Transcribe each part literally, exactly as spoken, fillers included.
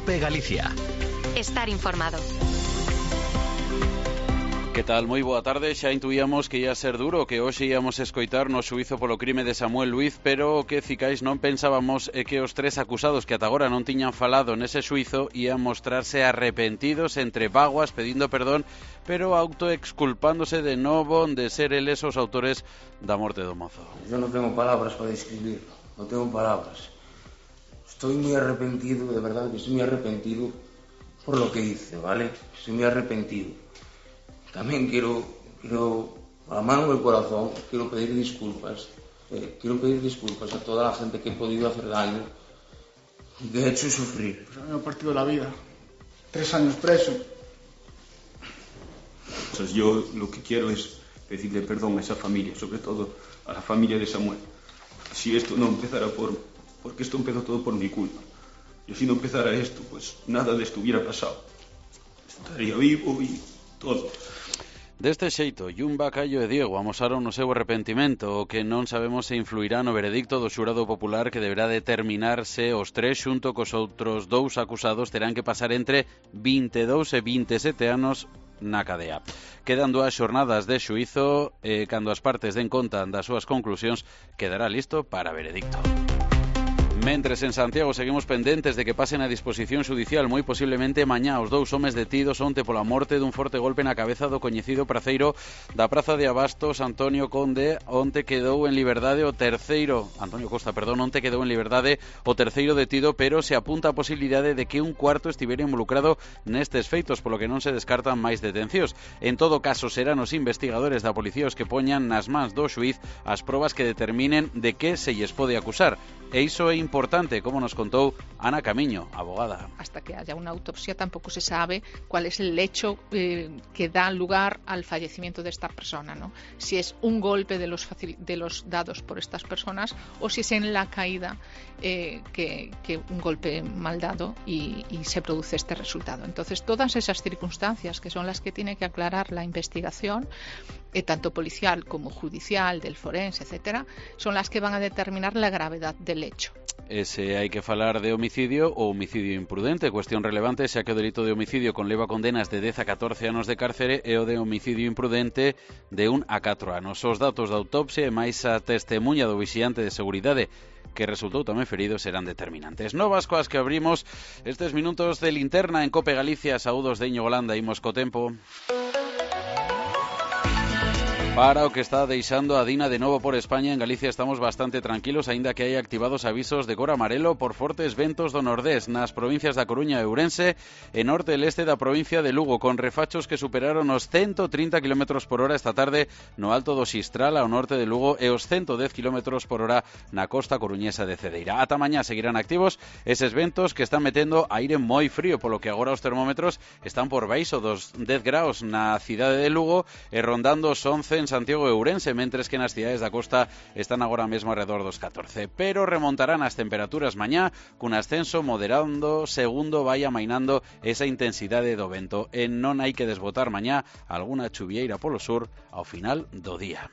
COPE Galicia. Estar informado. Que tal? Moi boa tarde. Xa intuíamos que ia ser duro, que hoxe íamos escoitar no xuízo polo crime de Samuel Luiz, pero o que cicais non pensábamos é que os tres acusados que ata agora non tiñan falado nese xuízo ian mostrarse arrepentidos, entre vaguas, pedindo perdón, pero autoexculpándose de novo de ser eles os autores da morte do mozo. Yo non tengo palabras para describirlo, non tengo palabras. Estoy muy arrepentido, de verdad que estoy muy arrepentido por lo que hice, ¿vale? Estoy muy arrepentido. También quiero, quiero, a la mano del corazón, quiero pedir disculpas. Eh, quiero pedir disculpas a toda la gente que he podido hacer daño y que he hecho sufrir. Pues a mí me ha partido la vida. Tres años preso. O sea, yo lo que quiero es pedirle perdón a esa familia, sobre todo a la familia de Samuel. Si esto no empezara por... porque esto empezó todo por mi culpa. Y si no empezara esto, pues nada de esto hubiera pasado. Estaría vivo y todo. Deste xeito, Jun Bacallo e Diego amosaron o seu arrepentimento, o que non sabemos se influirá no veredicto do xurado popular que deberá determinar se os tres xunto cos outros dous acusados terán que pasar entre vinte e dous e vinte e sete anos na cadea. Quedan dúas xornadas de xuízo e cando as partes den conta das súas conclusións quedará listo para veredicto. Mentres en Santiago seguimos pendentes de que pasen a disposición judicial moi posiblemente mañá os dous homes detidos onte pola morte dun forte golpe na cabeza do coñecido praceiro da Praza de Abastos, Antonio Conde. Onte quedou en liberdade o terceiro, Antonio Costa, perdón, onte quedou en liberdade o terceiro detido, pero se apunta a posibilidade de que un cuarto estivera involucrado nestes feitos, polo que non se descartan máis detencións. En todo caso, serán os investigadores da policía os que poñan nas mans do xuíz as probas que determinen de que se lles pode acusar. E iso é importante, como nos contou Ana Camiño, abogada. Hasta que haya una autopsia tampoco se sabe cuál es el hecho eh, que da lugar al fallecimiento de esta persona, ¿no? Si es un golpe de los, facil- de los dados por estas personas o si es en la caída eh, que, que un golpe mal dado y, y se produce este resultado. Entonces, todas esas circunstancias que son las que tiene que aclarar la investigación, eh, tanto policial como judicial, del forense, etcétera, son las que van a determinar la gravedad del hecho. Ese hai que falar de homicidio ou homicidio imprudente, cuestión relevante xa que o delito de homicidio conleva condenas de dez a catorce anos de cárcere e o de homicidio imprudente de un a catro anos. Os datos da autopsia e máis a testemunha do vixiante de seguridade que resultou tamén ferido serán determinantes. Novas coas que abrimos estes minutos de linterna en COPE Galicia. Saúdos de Íñigo Landa, imos co tempo. Para o que está deixando a Dina de novo por España, en Galicia estamos bastante tranquilos, aínda que hai activados avisos de cor amarelo por fortes ventos do nordés nas provincias da Coruña e Ourense e norte e leste da provincia de Lugo, con refachos que superaron os ciento trinta kilómetros por hora esta tarde no alto do Xistral ao norte de Lugo e os ciento dez kilómetros por hora na costa coruñesa de Cedeira. Ata mañá seguirán activos eses ventos que están metendo aire moi frío, polo que agora os termómetros están por baixo dos dez graus na cidade de Lugo e rondando os once en Santiago e Ourense, mentres que nas cidades da costa están agora mesmo alrededor dos catorce. Pero remontarán as temperaturas mañá cun ascenso moderando segundo vai amainando esa intensidade do vento e non hai que desbotar mañá alguna chuvieira polo sur ao final do día.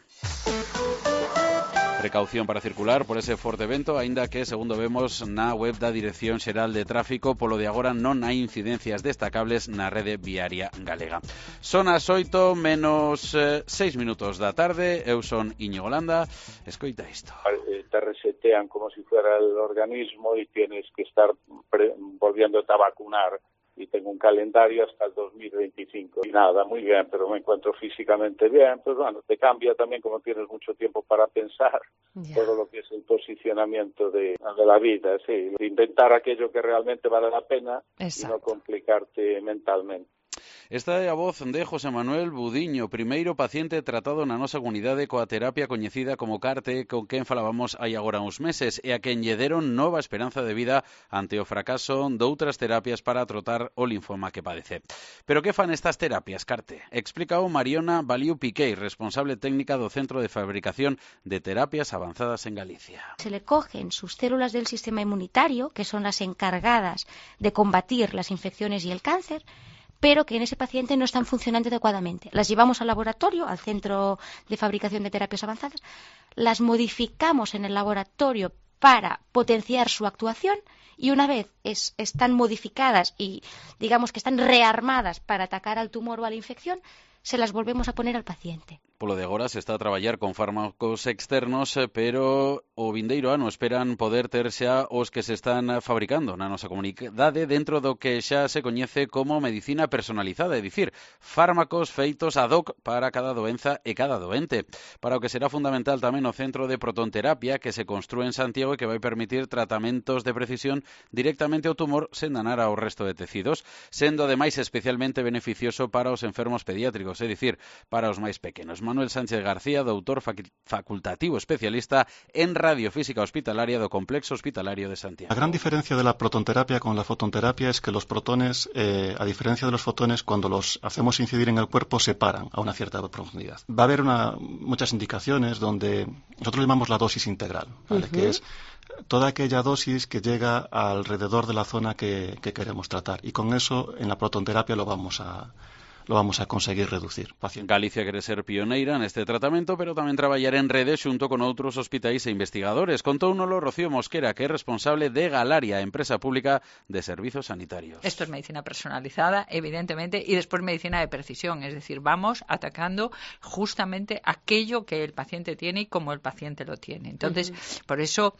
Precaución para circular por ese forte vento, aínda que, segundo vemos na web da Dirección Xeral de Tráfico, polo de agora non hai incidencias destacables na rede viaria galega. Son as oito menos seis minutos da tarde, eu son Íñigo Landa, escoita isto. Te resetean como si fuera el organismo y tienes que estar pre- volviéndote a vacunar. Y tengo un calendario hasta el dos mil veinticinco. Y nada, muy bien, pero me encuentro físicamente bien. Pues bueno, te cambia también como tienes mucho tiempo para pensar yeah. todo lo que es el posicionamiento de, de la vida, sí. Inventar aquello que realmente vale la pena Exacto. y no complicarte mentalmente. Esta é a voz de José Manuel Budiño, primeiro paciente tratado na nosa comunidade coa terapia coñecida como CARTE, con quen falábamos hai agora uns meses, e a quen lle deron nova esperanza de vida ante o fracaso doutras terapias para tratar o linfoma que padece. Pero que fan estas terapias CARTE? Explicao Mariona Baliu Piquei, responsable técnica do Centro de Fabricación de Terapias Avanzadas en Galicia. Se le cogen sus células del sistema inmunitario, que son las encargadas de combatir las infecciones y el cáncer, pero que en ese paciente no están funcionando adecuadamente. Las llevamos al laboratorio, al Centro de Fabricación de Terapias Avanzadas, las modificamos en el laboratorio para potenciar su actuación, y una vez es, están modificadas y digamos que están rearmadas para atacar al tumor o a la infección, se las volvemos a poner al paciente. Polo de agora se está a traballar con fármacos externos, pero o vindeiro ano esperan poder ter xa os que se están fabricando na nosa comunidade dentro do que xa se coñece como medicina personalizada, é dicir, fármacos feitos ad hoc para cada doenza e cada doente, para o que será fundamental tamén o Centro de Protonterapia que se construe en Santiago e que vai permitir tratamentos de precisión directamente ao tumor sen danar ao resto de tecidos, sendo ademais especialmente beneficioso para os enfermos pediátricos, é dicir, para os máis pequenos. Manuel Sánchez García, doutor facultativo especialista en radiofísica hospitalaria do Complexo Hospitalario de Santiago. La gran diferencia de la protonterapia con la fotonterapia es que los protones, eh, a diferencia de los fotones, cuando los hacemos incidir en el cuerpo, se paran a una cierta profundidad. Va a haber una, muchas indicaciones donde nosotros llamamos la dosis integral, ¿vale? Uh-huh. Que es toda aquella dosis que llega alrededor de la zona que, que queremos tratar. Y con eso, en la protonterapia lo vamos a... lo vamos a conseguir reducir. Paciente. Galicia quere ser pioneira neste tratamento, pero tamén traballar en rede xunto con outros hospitais e investigadores. Contóunolo Rocío Mosquera, que é responsable de Galaria, empresa pública de servizos sanitarios. Esto es medicina personalizada, evidentemente, y después medicina de precisión, es decir, vamos atacando justamente aquello que el paciente tiene y como el paciente lo tiene. Entonces, uh-huh. por eso...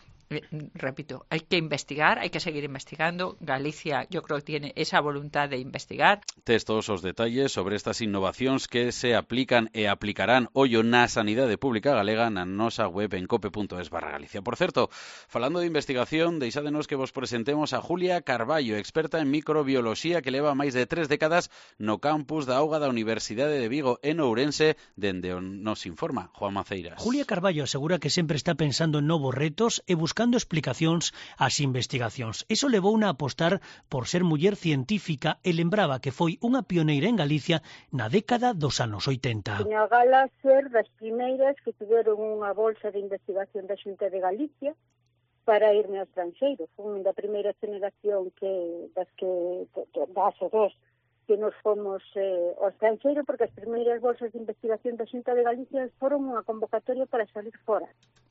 repito, hay que investigar, hay que seguir investigando. Galicia, yo creo que tiene esa voluntad de investigar. Tes todos os detalles sobre estas innovacións que se aplican e aplicarán ollo na sanidade pública galega na nosa web en cope punto es barra Galicia. Por certo, falando de investigación, deixádenos que vos presentemos a Julia Carballo, experta en microbioloxía que leva máis de tres décadas no campus da Auga da Universidade de Vigo en Ourense, dende onde nos informa Juan Maceiras. Julia Carballo asegura que sempre está pensando en novos retos e buscando buscando explicacións ás investigacións. Eso levou a apostar por ser muller científica e lembraba que foi unha pioneira en Galicia na década dos anos oitenta. Tiña a gala ser das primeiras que tiveron unha bolsa de investigación da Xunta de Galicia para irme ao estranxeiro. Foi unha da primeira generación que das que das dos que nos fomos eh, ao estranxeiro, porque as primeiras bolsas de investigación da Xunta de Galicia foron unha convocatoria para salir fora.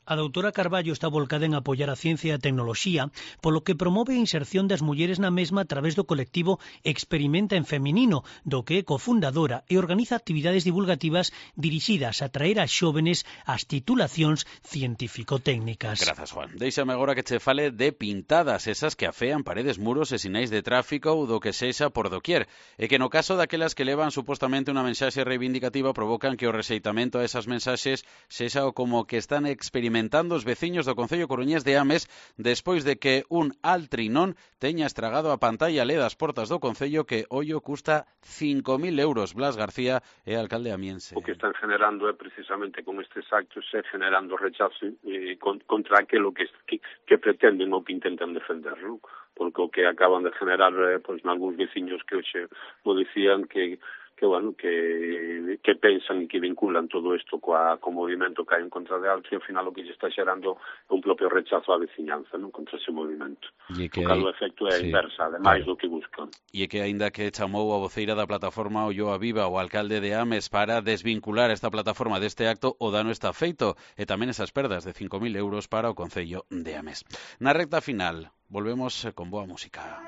A doutora Carballo está volcada en apoiar a ciencia e a tecnoloxía, polo que promove a inserción das mulleres na mesma a través do colectivo Experimenta en Feminino, do que é cofundadora e organiza actividades divulgativas dirixidas a traer a xóvenes ás titulacións científico-técnicas. Grazas, Juan. Déixame agora que che fale de pintadas, esas que afean paredes, muros e sinais de tráfico ou do que sexa por doquier, e que no caso daquelas que levan supostamente unha mensaxe reivindicativa provocan que o rexeitamento a esas mensaxes sexa o como que están experimentando os veciños do Concello coruñés de Ames despois de que un altrinón teña estragado a pantalla L E D das portas do Concello que ollo custa cinco mil euros. Blas García é alcalde amiense. O que están generando é precisamente con estes actos é generando rechazo eh, contra aquilo que, que, que pretenden ou que intentan defender, non? Porque o que acaban de generar eh, pois, nalgúns veciños que hoxe mo dicían que que bueno, que, que pensan e que vinculan todo isto coa, co movimento que hai en contra de Altri, ao final o que lle está xerando é un propio rechazo á veciñanza, non, contra ese movimento. E que o cal o efecto é sí, inversa, ademais claro. do que buscan. E que aínda que chamou a voceira da plataforma Olloa Viva o alcalde de Ames para desvincular esta plataforma deste acto, o dano está feito, e tamén esas perdas de cinco mil euros para o Concello de Ames. Na recta final, volvemos con boa música.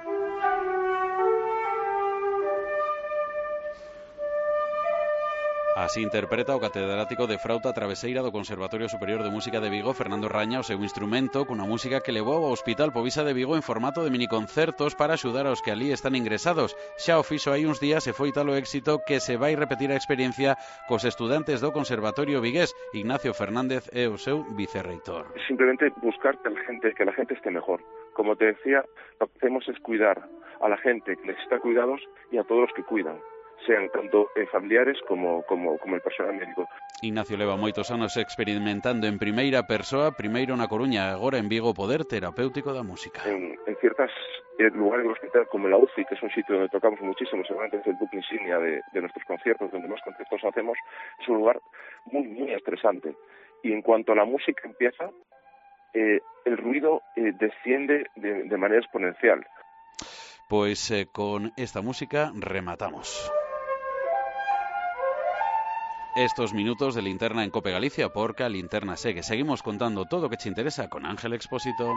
Así interpreta o catedrático de frauta traveseira do Conservatorio Superior de Música de Vigo, Fernando Raña, o seu instrumento cunha música que levou ao Hospital Povisa de Vigo en formato de miniconcertos para axudar aos que ali están ingresados. Xa o fixo hai uns días e foi tal o éxito que se vai repetir a experiencia cos estudantes do Conservatorio vigués. Ignacio Fernández é o seu vicerreitor. Simplemente buscar que la gente, que la gente esté mejor. Como te decía, lo que hacemos es cuidar a la gente que necesita cuidados y a todos los que cuidan, sean tanto eh, familiares como, como, como el personal médico. Ignacio leva moitos anos experimentando en primeira persoa, primeiro na Coruña, agora en Vigo, o poder terapéutico da música. En, en ciertos eh, lugares del hospital, como la U C I, que es un sitio donde tocamos muchísimo, seguramente es el buque insignia de, de nuestros conciertos, donde más conciertos hacemos, es un lugar muy, muy estresante. Y en cuanto a la música empieza, eh, el ruido eh, desciende de, de manera exponencial. Pois eh, con esta música rematamos. estos minutos de Linterna en Cope Galicia, porque a Linterna segue. Seguimos contando todo o que te interesa con Ángel Expósito.